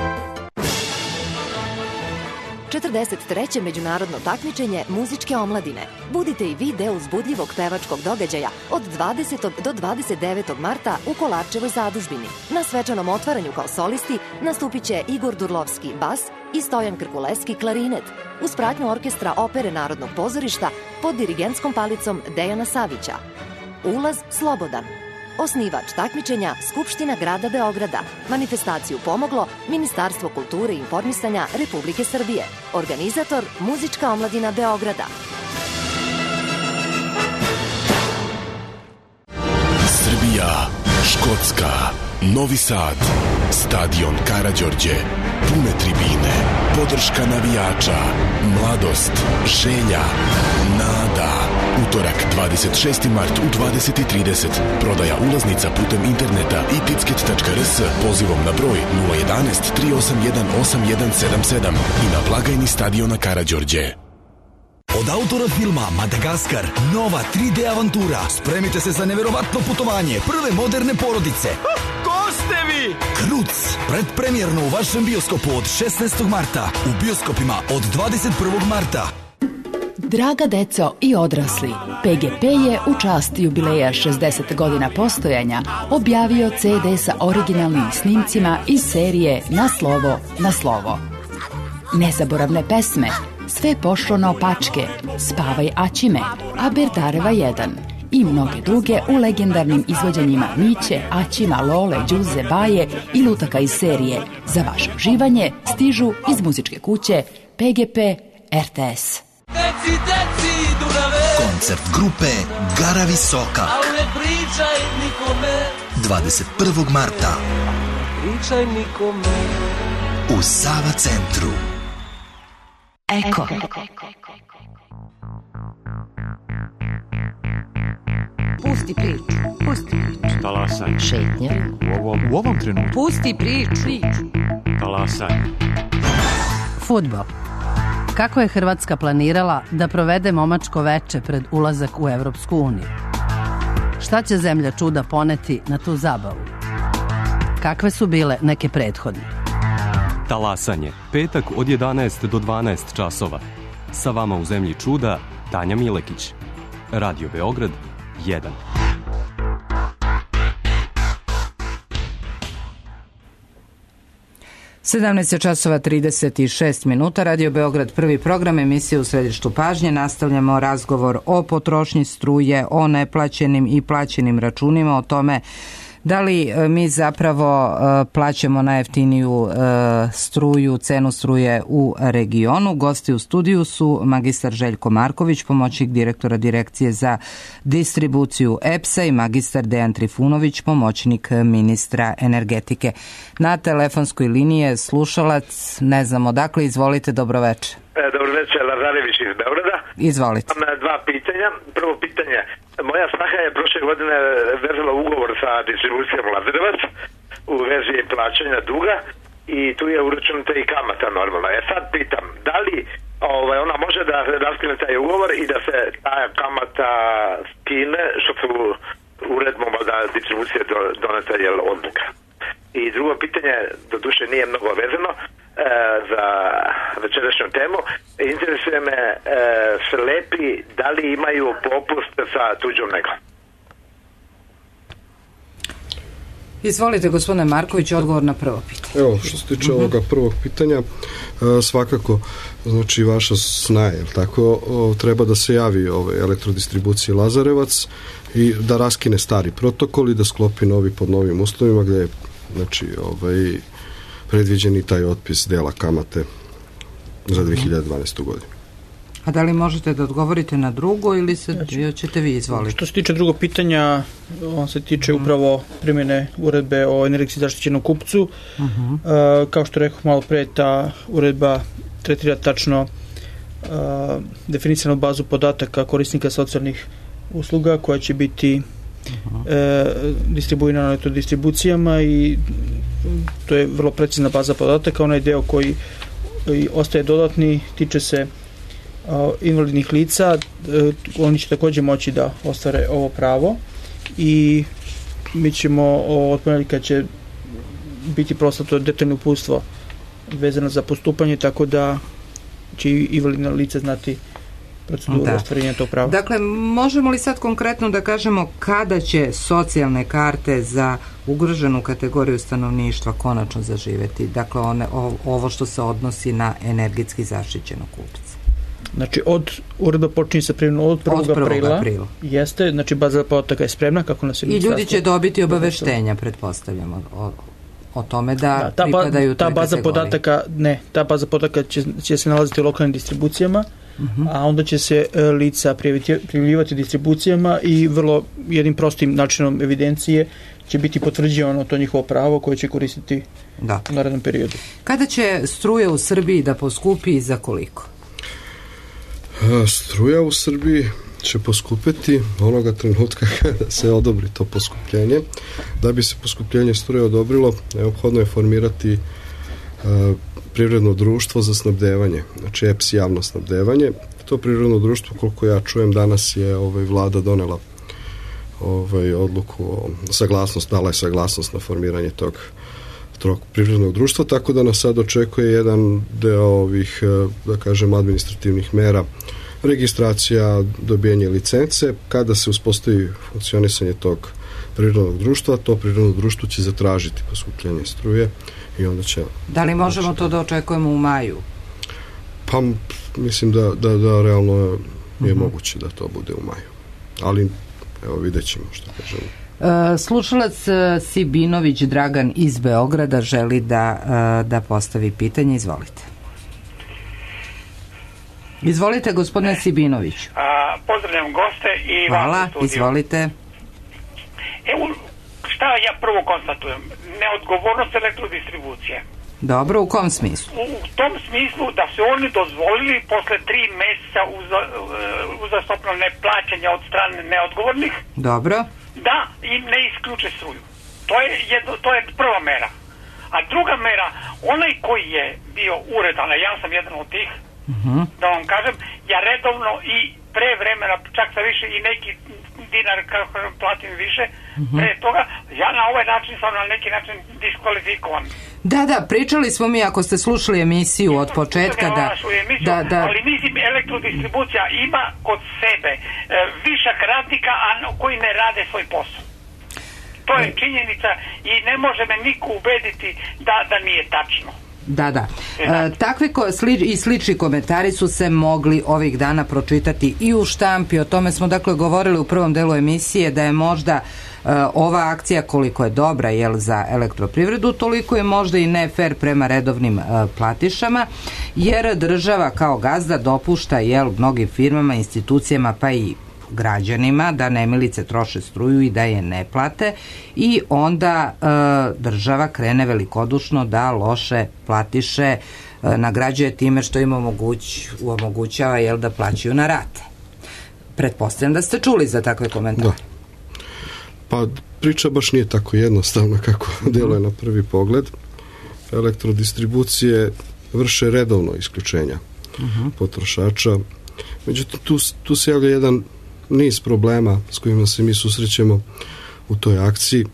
četrdeset treće međunarodno takmičenje muzičke omladine. Budite i vi deo uzbudljivog pevačkog događaja od dvadesetog do dvadeset devetog marta u Kolarčevoj zadužbini. Na svečanom otvaranju kao solisti nastupit će Igor Durlovski bas i Stojan Krkuleski klarinet, uz pratnju orkestra Opere Narodnog pozorišta pod dirigentskom palicom Dejana Savića. Ulaz slobodan. Osnivač takmičenja Skupština grada Beograda. Manifestaciju pomoglo Ministarstvo kulture i informisanja Republike Srbije. Organizator Muzička omladina Beograda. Srbija, Škotska, Novi Sad, Stadion Karađorđe, pune tribine, podrška navijača, mladost, želja, nada. Utorak, dvadeset šesti mart u dvadeset i trideset. Prodaja ulaznica putem interneta i ticket tačka r s pozivom na broj nula jedan jedan tri osam jedan osam jedan sedam sedam i na blagajni Stadiona Karađorđe. Od autora filma Madagaskar, nova tri D avantura. Spremite se za neverovatno putovanje prve moderne porodice. Ko ste vi? Kruc, predpremjerno u vašem bioskopu od šesnaestog marta, u bioskopima od dvadeset prvog marta. Draga deco i odrasli, P G P je u čast jubileja šezdeset godina postojanja objavio C D sa originalnim snimcima iz serije Na slovo, na slovo. Nezaboravne pesme, Sve pošlo na opačke, Spavaj Aćime, Aberdareva jedan i mnoge druge u legendarnim izvođenjima Miće, Aćima, Lole, Đuze, Baje i lutaka iz serije. Za vaše uživanje stižu iz muzičke kuće P G P R T S. Deci, deci, Dunave, Koncert grupe Gara Visoka al ne pričaj nikome, dvadeset prvog marta pričaj nikome. u Sava centru. Eko. Pusti priču, pusti priču. Talasaj. Šetnja. U ovom, u ovom trenutku. Pusti priču. Talasaj. Fudbal. Kako je Hrvatska planirala da provede momačko veče pred ulazak u Evropsku uniju? Šta će zemlja čuda poneti na tu zabavu? Kakve su bile neke prethodne? Talasanje. Petak od jedanaest do dvanaest časova. Sa vama u zemlji čuda Tanja Milekić. Radio Beograd jedan. sedamnaest časova trideset šest minuta, Radio Beograd, prvi program, emisije u središtu pažnje. Nastavljamo razgovor o potrošnji struje, o neplaćenim i plaćenim računima, o tome da li mi zapravo plaćamo najjeftiniju struju, cenu struje u regionu. Gosti u studiju su magistar Željko Marković, pomoćnik direktora Direkcije za distribuciju E P S-a i magistar Dejan Trifunović, pomoćnik ministra energetike. Na telefonskoj liniji je slušalac, ne znam odakle, izvolite, dobroveče. Dobro večer, Lazarević iz Beograda. Izvolite. Imam dva pitanja. Prvo pitanje, moja snaha je prošle godine vezala ugovor sa distribucijom Lazarevac u vezi plaćanja duga i tu je uračunata i kamata normalna. Ja sad pitam, da li ovaj, ona može da raskine taj ugovor i da se ta kamata skine, što su uredbom da distribucija doneta je odluka. I drugo pitanje, do duše nije mnogo vezano, za večerašnju temu. Interesuje me e, slepi da li imaju popust sa tuđom negom. Izvolite, gospodine Marković, odgovor na prvo pitanje. Evo, što se tiče uh-huh. ovoga prvog pitanja, svakako, znači, vaša sna je, tako, o, treba da se javi ove elektrodistribucije Lazarevac i da raskine stari protokol i da sklopi novi pod novim uslovima, gde je, znači, ovaj, predviđeni taj otpis dela kamate za dve hiljade dvanaestu. godinu. A da li možete da odgovorite na drugo ili se, znači, ćete vi izvoliti? Što se tiče drugog pitanja, on se tiče uh-huh. upravo primjene uredbe o energetski zaštićenom kupcu. Uh-huh. Uh, kao što rekao malo pre, ta uredba tretira tačno uh, definisanu bazu podataka korisnika socijalnih usluga koja će biti uh-huh. uh, distribuirana elektrodistribucijama i to je vrlo precizna baza podataka. Onaj deo koji ostaje dodatni tiče se uh, invalidnih lica. Uh, oni će također moći da ostvare ovo pravo i mi ćemo od ponedjeljka će biti proslato detaljno uputstvo vezano za postupanje, tako da će i invalidna lica znati proceduru da. ostvarenja tog prava. Dakle, možemo li sad konkretno da kažemo kada će socijalne karte za ugroženu kategoriju stanovništva konačno zaživeti? Dakle, one, ovo što se odnosi na energetski zaštićenog kupca. Znači, od uredba počinje sa primjenom od prvog aprila. aprila. Jeste, znači baza podataka je spremna, kako nas je i ljudi će dobiti obaveštenja, pretpostavljamo, o, o tome da, da ta, pripadaju ta toj baza kategoriji. podataka, ne, ta baza podataka će, će se nalaziti u lokalnim distribucijama, uh-huh. a onda će se e, lica prijavljivati distribucijama i vrlo jednim prostim načinom evidencije će biti potvrđivano to njihovo pravo koje će koristiti da. u narednom periodu. Kada će struja u Srbiji da poskupi i za koliko? Struja u Srbiji će poskupiti onoga trenutka kada se odobri to poskupljenje. Da bi se poskupljenje struje odobrilo, neophodno je formirati uh, privredno društvo za snabdevanje, znači E P S javno snabdevanje. To privredno društvo, koliko ja čujem, danas je ovaj, vlada donela ovaj, odluku o saglasnost, dala je saglasnost na formiranje tog tog privrednog društva, tako da nas sad očekuje jedan deo ovih, da kažem, administrativnih mera, registracija, dobijanje licence. Kada se uspostavi funkcionisanje tog privrednog društva, to privredno društvo će zatražiti poskupljenje struje i onda će... Da li možemo to da očekujemo u maju? Pa mislim da, da, da realno je, je uh-huh. moguće da to bude u maju. Ali evo vidjet ćemo što kažemo. Uh, slušalac uh, Sibinović Dragan iz Beograda želi da, uh, da postavi pitanje. Izvolite. Izvolite, gospodine Sibinović. A, pozdravljam goste i hvala, vas u studiju. Izvolite. Evo, šta ja prvo konstatujem? Neodgovornost elektrodistribucije. Dobro, u kom smislu? U, u tom smislu da su oni dozvolili posle tri meseca uza, uzastopno neplaćanja od strane neodgovornih. Dobro. Da im ne isključe struju. To je, jedno, to je prva mera. A druga mera, onaj koji je bio uredan, a ja sam jedan od tih, uh-huh. da vam kažem, ja redovno i pre vremena, čak sa više i neki dinar kako platim više, uh-huh. pre toga, ja na ovaj način sam na neki način diskvalifikovan. Da, da, pričali smo mi, ako ste slušali emisiju od početka, da, emisiju, da, da... ali mislim, elektrodistribucija ima kod sebe e, višak radnika, a koji ne rade svoj posao. To je činjenica i ne može me niko ubediti da, da nije tačno. Da, da. E, takvi ko, sli, i slični komentari su se mogli ovih dana pročitati i u štampi. O tome smo dakle govorili u prvom delu emisije, da je možda e, ova akcija koliko je dobra, jel, za elektroprivredu, toliko je možda i ne fer prema redovnim e, platišama, jer država kao gazda dopušta, jel, mnogim firmama, institucijama pa i građanima da nemilice troše struju i da je ne plate i onda e, država krene velikodušno da loše platiše e, nagrađuje time što im omoguć, omogućava, jel, da plaćaju na rate. Pretpostavljam da ste čuli za takve komentare. Da. Pa priča baš nije tako jednostavna kako djeluje na prvi pogled. Elektrodistribucije vrše redovno isključenja uh-huh. potrošača. Međutim, tu, tu se javlja jedan niz problema s kojima se mi susrećemo u toj akciji.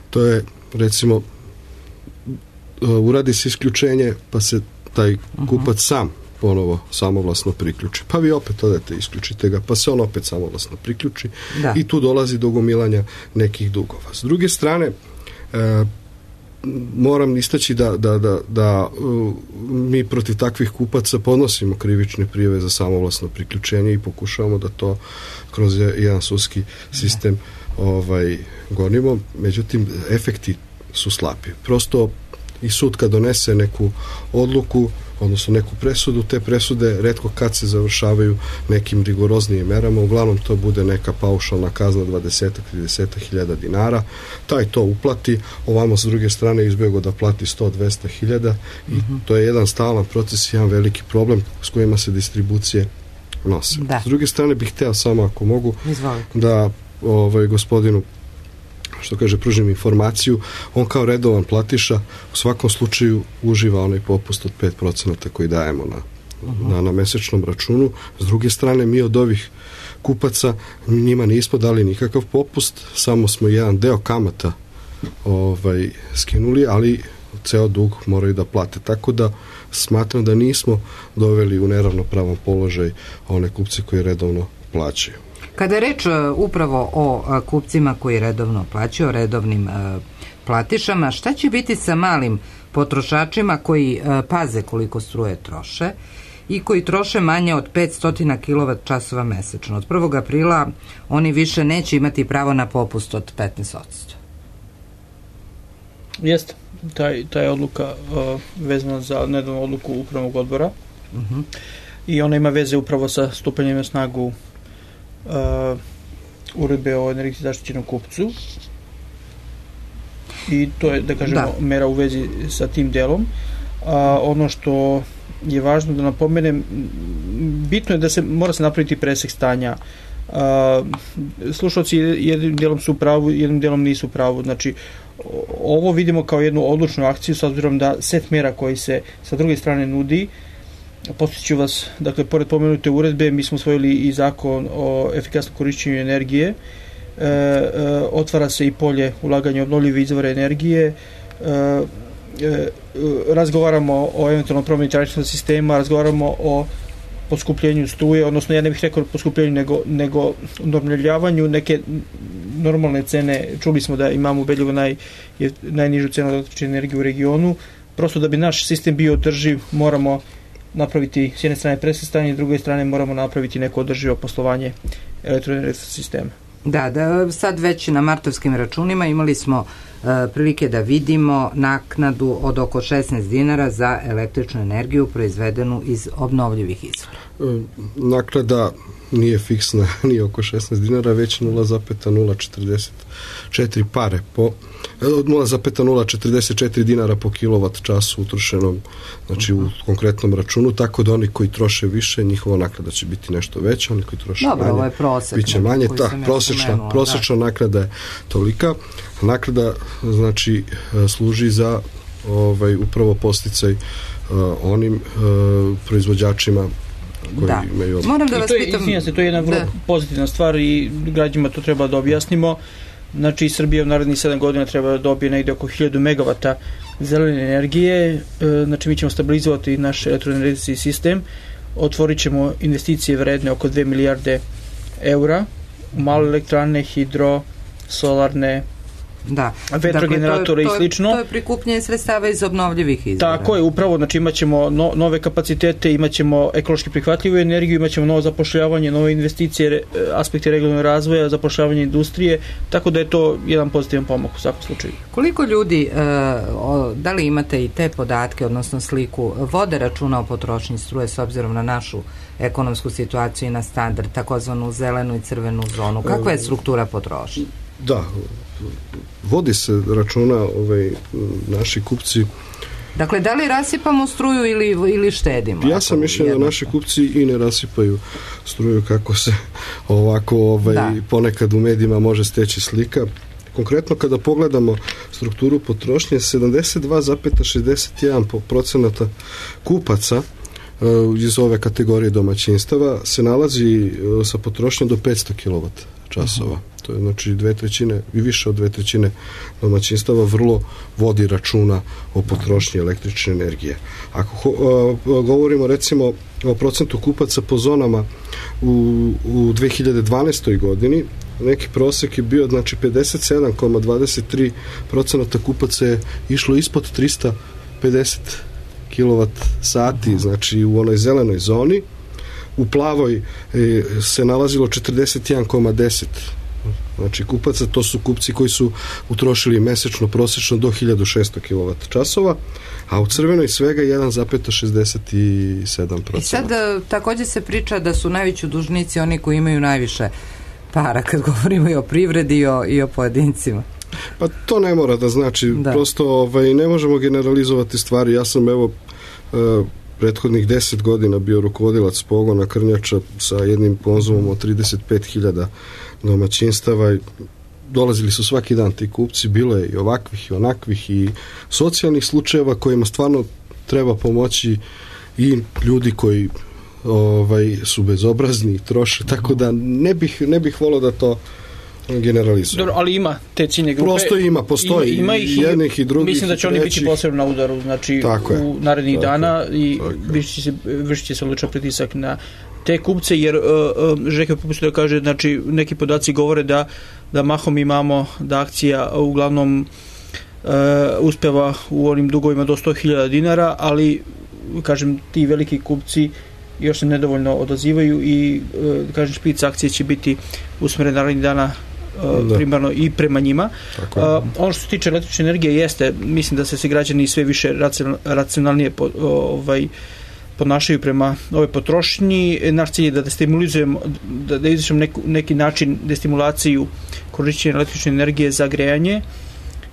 To je, recimo, uradi se isključenje, pa se taj kupac sam ponovo samovlasno priključi. Pa vi opet odete, isključite ga, pa se on opet samovlasno priključi da. I tu dolazi do gomilanja nekih dugova. S druge strane, e, moram istaći da, da, da, da uh, mi protiv takvih kupaca podnosimo krivične prijave za samovlasno priključenje i pokušavamo da to kroz jedan sudski sistem ovaj, gonimo. Međutim, efekti su slabi. Prosto i sud kad donese neku odluku, odnosno neku presudu, te presude retko kad se završavaju nekim rigoroznijim merama, uglavnom to bude neka paušalna kazna dvadeset do trideset hiljada dinara, taj to uplati, ovamo s druge strane izbjego da plati sto do dvesta hiljada i uh-huh. to je jedan stalan proces, jedan veliki problem s kojima se distribucije nose. Da. S druge strane bih hteo samo, ako mogu, Izvolite. da ovaj, gospodinu što kaže, pružim informaciju, on kao redovan platiša u svakom slučaju uživa onaj popust od pet procenata koji dajemo na, uh-huh. na, na mesečnom računu. S druge strane, mi od ovih kupaca njima nismo dali nikakav popust, samo smo jedan deo kamata ovaj, skinuli, ali ceo dug moraju da plate. Tako da smatram da nismo doveli u neravnopravan položaj one kupce koji redovno plaćaju. Kada je reč upravo o kupcima koji redovno plaćaju, o redovnim platišama, šta će biti sa malim potrošačima koji paze koliko struje troše i koji troše manje od petsto kilovat časova mesečno? Od prvog aprila oni više neće imati pravo na popust od petnaest posto. Jeste. Taj, taj odluka uh, vezana za nedavnu odluku upravnog odbora uh-huh. i ona ima veze upravo sa stupanjem na snagu Uh, uredbe o energetski zaštićenom kupcu i to je, da kažemo, da. mera u vezi sa tim delom. A ono što je važno da napomenem, bitno je da se mora se napraviti presek stanja. A, slušalci jednim delom su u pravu, jednim delom nisu u pravu. Znači, ovo vidimo kao jednu odlučnu akciju s obzirom da set mera koji se sa druge strane nudi. Podsjeću vas, dakle, pored pomenute uredbe, mi smo usvojili i zakon o efikasnom korišćenju energije, e, e, otvara se i polje ulaganja obnovljive izvore energije, e, e, razgovaramo o eventualnom promjeni taričnog sistema, razgovaramo o poskupljenju struje, odnosno ja ne bih rekao poskupljenju, nego, nego normaljavanju neke normalne cene. Čuli smo da imamo ubedljivo naj, najnižu cenu električne energije u regionu. Prosto da bi naš sistem bio održiv, moramo napraviti s jedne strane presvrstanje, s druge strane moramo napraviti neko održivo poslovanje elektroenergetskog sistema. Da, da, sad već na martovskim računima imali smo uh, prilike da vidimo naknadu od oko šesnaest dinara za električnu energiju proizvedenu iz obnovljivih izvora. E, naknada nije fiksna, nije oko šesnaest dinara, već nula zarez nula četrdeset četiri pare po nula zarez nula četrdeset četiri dinara po kilovat času utrošenom, znači u konkretnom računu, tako da oni koji troše više, njihova naknada će biti nešto veća, oni koji troše Dobro, manje, ovo je prosek, biće manje. Ta, prosječna, ja prosječna da. naknada je tolika. Naknada znači služi za ovaj, upravo posticaj uh, onim uh, proizvođačima koji da. imaju... Moram da vas I to je, pitam... izvinjam se, to je jedna vrlo da. pozitivna stvar i građanima to treba da objasnimo. Znači, Srbija u narednih sedam godina treba da dobije negde oko hiljadu megavata zelene energije. Znači, mi ćemo stabilizovati naš elektroenergetski sistem, otvorit ćemo investicije vredne oko dve milijarde eura u male elektrane, hidro, solarne, da. vetrogeneratore dakle, i slično. To je prikupljanje sredstava iz obnovljivih izvora. Tako je, upravo, znači imat ćemo no, nove kapacitete, imat ćemo ekološki prihvatljivu energiju, imat ćemo novo zapošljavanje, nove investicije, aspekte regionalnog razvoja, zapošljavanje industrije, tako da je to jedan pozitivan pomak u svakom slučaju. Koliko ljudi, da li imate i te podatke, odnosno sliku, vode računa o potrošnji struje s obzirom na našu ekonomsku situaciju i na standard, takozvanu zelenu i crvenu zonu? Kakva je struktura potrošnje? Da, vodi se računa ovaj, naši kupci. Dakle, da li rasipamo struju ili, ili štedimo? Ja sam mišljen da naši kupci i ne rasipaju struju kako se ovako ovaj, ponekad u medijima može steći slika. Konkretno kada pogledamo strukturu potrošnje, sedamdeset dva zarez šezdeset jedan procenata kupaca iz ove kategorije domaćinstava se nalazi sa potrošnjom do petsto kilovat časova. Uh-huh. To je znači dve trećine i više od dve trećine domaćinstava vrlo vodi računa o potrošnji električne energije. Ako uh, govorimo recimo o procentu kupaca po zonama u, u dve hiljade dvanaestoj godini, neki prosek je bio znači pedeset sedam zarez dvadeset tri procenata kupaca je išlo ispod trista pedeset kilovat sati, znači u onoj zelenoj zoni. U plavoj e, se nalazilo četrdeset jedan zarez deset znači kupaca, to su kupci koji su utrošili mesečno prosječno do hiljadu šesto kilovat časova, a u crvenoj svega jedan zarez šezdeset sedam procenata. I sad također se priča da su najveći dužnici oni koji imaju najviše para, kad govorimo i o privredi i o, i o pojedincima. Pa to ne mora da znači, da. prosto ovaj, ne možemo generalizovati stvari. Ja sam evo uh, prethodnih deset godina bio rukovodilac pogona krnjača sa jednim konzumom od trideset pet hiljada domaćinstava i dolazili su svaki dan ti kupci, bilo je i ovakvih i onakvih i socijalnih slučajeva kojima stvarno treba pomoći i ljudi koji ovaj, su bezobrazni i troše, tako da ne bih, ne bih volio da to generalizujem. Dobro, ali ima te ciljne grupe. Prosto ima, postoji ima, ima ih i jednih i drugih. Mislim da će oni biti posebno na udaru, znači u narednih dana i vršit će se, vršit će se odličan pritisak na te kupce, jer uh, uh, Željko popusti da kaže, znači neki podaci govore da, da mahom imamo da akcija uglavnom uh, uspeva u onim dugovima do sto hiljada dinara, ali kažem ti veliki kupci još se nedovoljno odazivaju i uh, kažem špic akcije će biti usmeren narednih dana Uh, primarno i prema njima. Uh, ono što se tiče električne energije jeste, mislim da se se građani sve više racionalnije po, ovaj, ponašaju prema ove potrošnji. Naš cilj je da destimulizujemo, da, da izvršimo neku, neki način destimulaciju korišćenja električne energije za grejanje.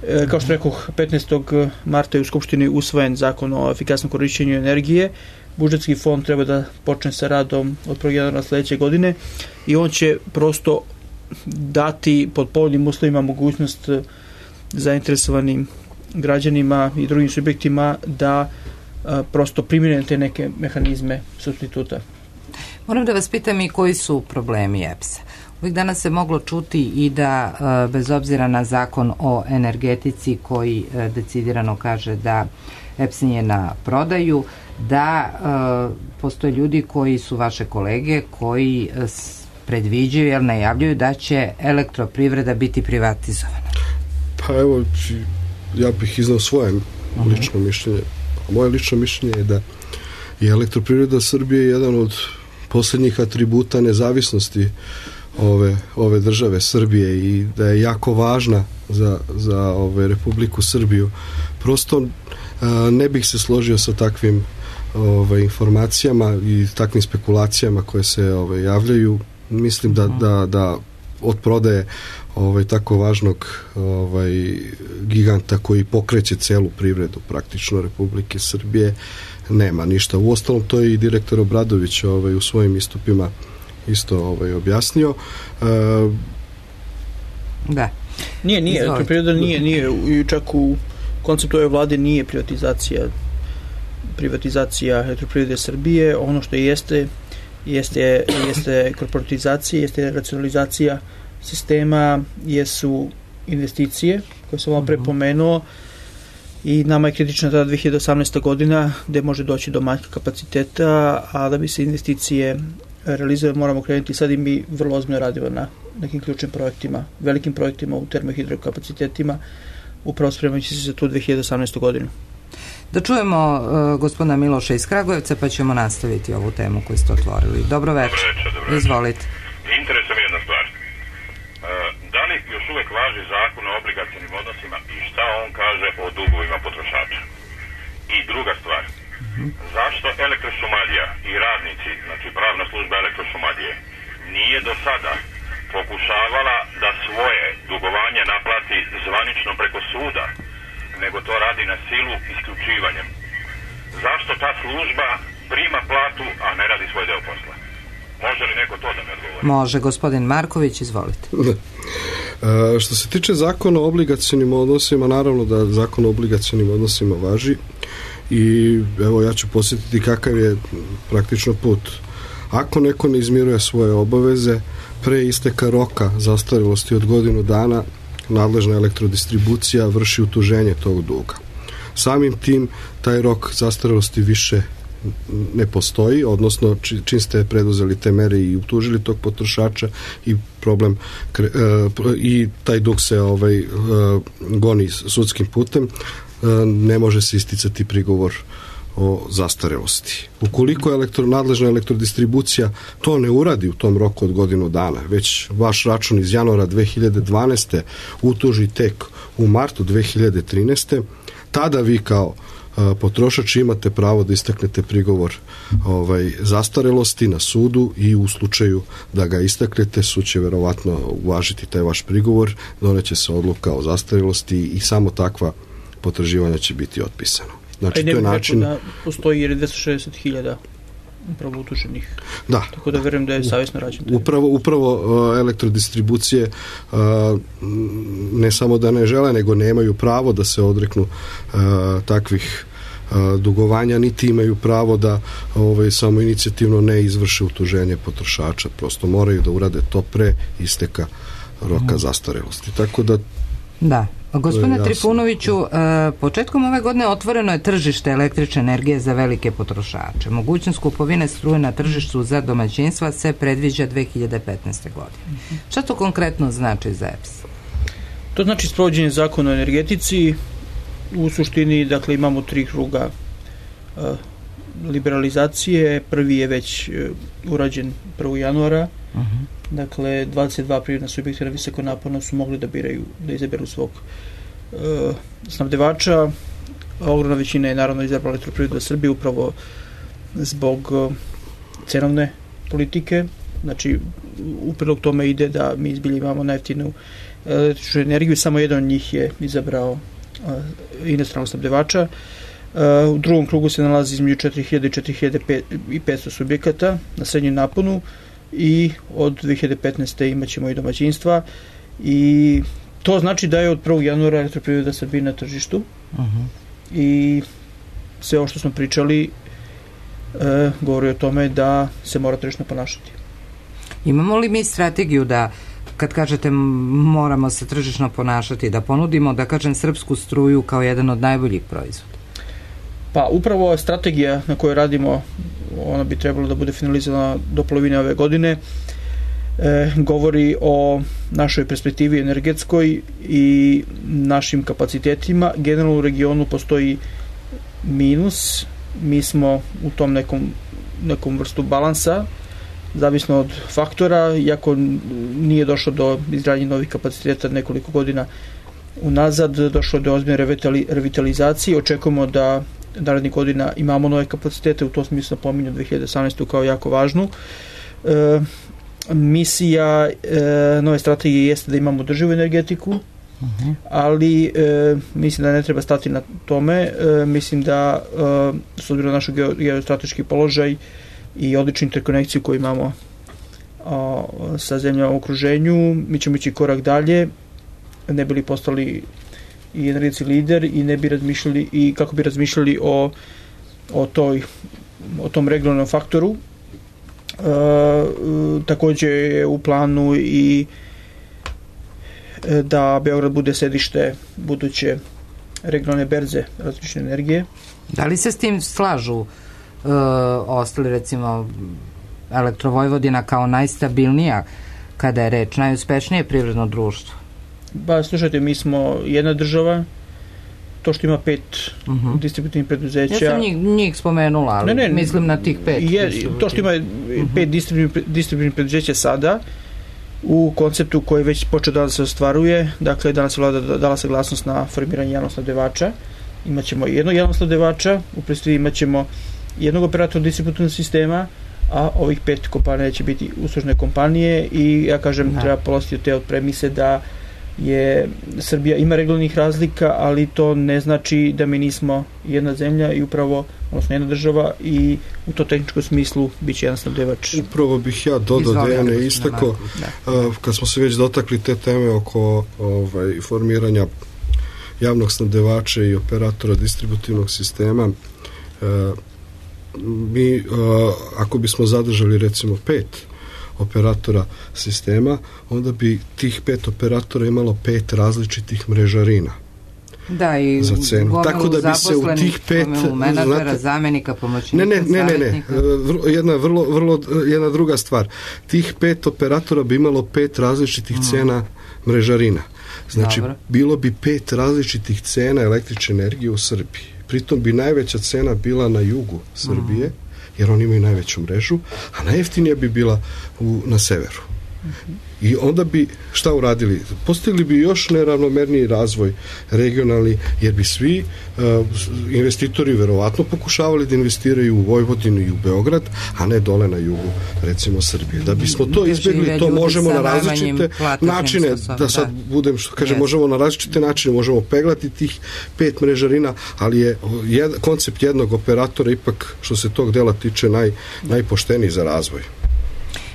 E, kao što rekoh, petnaestog marta je u Skupštini usvojen zakon o efikasnom korišćenju energije. Budžetski fond treba da počne sa radom od prvog januara sledeće godine i on će prosto dati pod povoljnim uslovima mogućnost zainteresovanim građanima i drugim subjektima da a, prosto primjene te neke mehanizme supstituta. Moram da vas pitam i koji su problemi E P S-a. Uvijek danas se moglo čuti i da a, bez obzira na zakon o energetici koji a, decidirano kaže da E P S nije na prodaju, da a, postoje ljudi koji su vaše kolege koji a, predviđaju, jer najavljuju da će elektroprivreda biti privatizovana. Pa evo, ja bih iznao svoje lično mišljenje. Moje lično mišljenje je da I Elektroprivreda Srbije je jedan od posljednjih atributa nezavisnosti ove, ove države Srbije i da je jako važna za, za ove, Republiku Srbiju. Prosto a, ne bih se složio sa takvim ove, informacijama i takvim spekulacijama koje se ove, javljaju. Mislim da, da, da od prodaje ovaj, tako važnog ovaj, giganta koji pokreće celu privredu praktično Republike Srbije nema ništa. Uostalom to je i direktor Obradović ovaj, u svojim istupima isto ovaj, objasnio. E, da. Nije, nije, elektroprivreda nije, nije, i čak u konceptu ove vlade nije privatizacija privatizacija Elektroprivrede Srbije. Ono što jeste jeste, jeste korporatizacija, jeste racionalizacija sistema, jesu investicije koje sam vam prepomenuo i nama je kritična tada dve hiljade osamnaesta godina gde može doći do manjka kapaciteta, a da bi se investicije realizovali moramo krenuti sad i mi vrlo ozbiljno radimo na nekim ključnim projektima, velikim projektima u termohidrokapacitetima, upravo spremajući se za tu dve hiljade osamnaestu godinu. Da čujemo uh, gospodina Miloša iz Kragujevca pa ćemo nastaviti ovu temu koju ste otvorili. Dobro večer. Izvolite. Interesuje me jedna stvar. Uh, da li još uvek važi zakon o obligacionim odnosima i šta on kaže o dugovima potrošača? I druga stvar. Uh-huh. Zašto Elektrošumadija i radnici, znači pravna služba Elektrošumadije, nije do sada pokušavala da svoje dugovanje naplati zvanično preko suda, nego to radi na silu isključivanjem? Zašto ta služba prima platu, a ne radi svoj deo posla? Može li neko to da me odgovori? Može, gospodin Marković, izvolite. E, što se tiče zakona o obligacionim odnosima, naravno da zakon o obligacionim odnosima važi i evo ja ću posjetiti kakav je praktično put. Ako neko ne izmiruje svoje obaveze pre isteka roka zastarelosti od godinu dana, nadležna elektrodistribucija vrši utuženje tog duga. Samim tim taj rok zastarelosti više ne postoji, odnosno čim ste preduzeli te mere i utužili tog potrošača i problem i taj dug se ovaj goni sudskim putem, ne može se isticati prigovor o zastarelosti. Ukoliko elektro, nadležna elektrodistribucija to ne uradi u tom roku od godinu dana, već vaš račun iz januara dve hiljade dvanaeste utuži tek u martu dve hiljade trinaeste, tada vi kao a, potrošač imate pravo da istaknete prigovor ovaj, zastarelosti na sudu i u slučaju da ga istaknete, sud će verovatno uvažiti taj vaš prigovor, doneće se odluka o zastarelosti i samo takva potraživanja će biti otpisano. Znači, ne to je bih način... rekao da postoji jer je dvesta šezdeset hiljada upravo utuženih. Da. Tako da verujem da je savjesno rađeno. Upravo, upravo uh, elektrodistribucije uh, ne samo da ne žele, nego nemaju pravo da se odreknu uh, takvih uh, dugovanja, niti imaju pravo da ovaj, samo inicijativno ne izvrše utuženje potrošača. Prosto moraju da urade to pre isteka roka zastarelosti. Tako da da. Gospodine Trifunoviću, početkom ove godine otvoreno je tržište električne energije za velike potrošače. Mogućnost kupovine struje na tržištu za domaćinstva se predviđa dve hiljade petnaeste. godine. Šta to konkretno znači za E P S? To znači sprovođenje zakona o energetici. U suštini, dakle, imamo tri kruga uh, liberalizacije. Prvi je već uh, urađen prvog januara. Uh-huh. Dakle, dvadeset dva privredna subjekta na visoko naporno su mogli da biraju, da izaberu svog uh, snabdevača. Ogromna većina je naravno izabrala Elektroprivredu Srbije upravo zbog uh, cenovne politike. Znači, u prilog tome ide da mi izbilje imamo najjeftinu električnu energiju. Samo jedan od njih je izabrao uh, inostranog snabdevača. Uh, u drugom krugu se nalazi između četiri hiljade i četiri hiljade petsto subjekata na srednjem naponu i od dve hiljade petnaeste. imat ćemo i domaćinstva i to znači da je od prvog januara Elektroprivreda Srbije na tržištu. Uh-huh. I sve ovo što smo pričali e, govori o tome da se mora tržišno ponašati. Imamo li mi strategiju da, kad kažete moramo se tržišno ponašati, da ponudimo, da kažem, srpsku struju kao jedan od najboljih proizvoda? Pa upravo strategija na kojoj radimo, ona bi trebalo da bude finalizovana do polovine ove godine, e, govori o našoj perspektivi energetskoj i našim kapacitetima. Generalno u regionu postoji minus mi smo u tom nekom, nekom vrstu balansa, zavisno od faktora, iako nije došlo do izgradnje novih kapaciteta nekoliko godina unazad, došlo do ozbiljne revitalizacije. Očekujemo da narednih godina imamo nove kapacitete, u tom smislu pominju dve hiljade osamnaestu kao jako važnu. E, misija e, nove strategije jeste da imamo održivu energetiku, uh-huh. ali e, mislim da ne treba stati na tome. E, mislim da e, s obzirom na naš geostrateški položaj i odličnu interkonekciju koju imamo a, sa zemljama u okruženju, mi ćemo ići korak dalje, ne bi li postali i energetski lider i ne bi razmišljali i kako bi razmišljali o, o, toj, o tom regionalnom faktoru. E, također je u planu i da Beograd bude sedište buduće regionalne berze različne energije. Da li se s tim slažu e, ostali, recimo Elektrovojvodina kao najstabilnija kada je reč, najuspešnije privredno društvo? Ba, slušajte, mi smo jedna država, to što ima pet uh-huh. distributivnih preduzeća. Ja sam njih, njih spomenula, ali ne, ne, mislim na tih pet. Je, to što ima pet uh-huh. distributivnih preduzeća sada, u konceptu koji već počeo da se ostvaruje, dakle danas je vlada dala saglasnost na formiranje javnog snabdevača, imaćemo jednog javnog snabdevača, u predstavi imaćemo jednog operatora distributivnog sistema, a ovih pet kompanija će biti uslužne kompanije i ja kažem da. Treba polaziti od te od premise da je Srbija ima regionalnih razlika, ali to ne znači da mi nismo jedna zemlja i upravo, odnosno jedna država i u to tehničkom smislu bit će jedan snabdevač. Upravo bih ja dodao Dejane istako, kad smo se već dotakli te teme oko ovaj, formiranja javnog snabdevača i operatora distributivnog sistema, mi ako bismo zadržali recimo pet operatora sistema, onda bi tih pet operatora imalo pet različitih mrežarina. Da, i za cenu. Tako da bi se u tih pet menadžera, zamenika, pomoćnika, ne, ne, ne, ne, ne. Jedna, vrlo, vrlo, jedna druga stvar. Tih pet operatora bi imalo pet različitih mm. cena mrežarina. Znači, Dobro. bilo bi pet različitih cena električne energije u Srbiji. Pritom bi najveća cena bila na jugu Srbije, mm. jer oni imaju najveću mrežu, a najjeftinija bi bila u, na severu. Mm-hmm. I onda bi šta uradili? Postigli bi još neravnomerniji razvoj regionalni, jer bi svi uh, investitori verovatno pokušavali da investiraju u Vojvodinu i u Beograd, a ne dole na jugu, recimo Srbije. Da bismo to izbjegli, to možemo na različite načine, da sad budem što kaže, možemo na različite načine, možemo peglati tih pet mrežarina, ali je jed, koncept jednog operatora ipak što se tog dela tiče naj, najpošteniji za razvoj.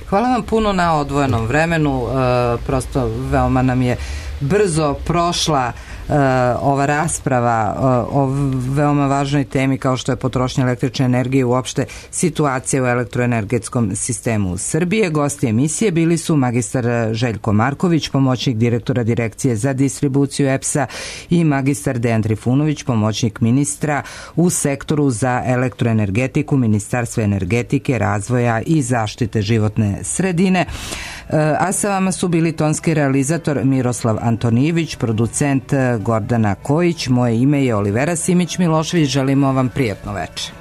Hvala vam puno na odvojenom vremenu, e, prosto veoma nam je brzo prošla e, ova rasprava e, o veoma važnoj temi kao što je potrošnja električne energije i uopšte situacija u elektroenergetskom sistemu Srbije. Gosti emisije bili su magistar Željko Marković, pomoćnik direktora Direkcije za distribuciju E P S-a i magistar Dejan Trifunović, pomoćnik ministra u sektoru za elektroenergetiku Ministarstva energetike, razvoja i zaštite životne sredine. A sa vama su bili tonski realizator Miroslav Antonijević, producent Gordana Kojić, moje ime je Olivera Simić Milošević, želimo vam prijatno večer.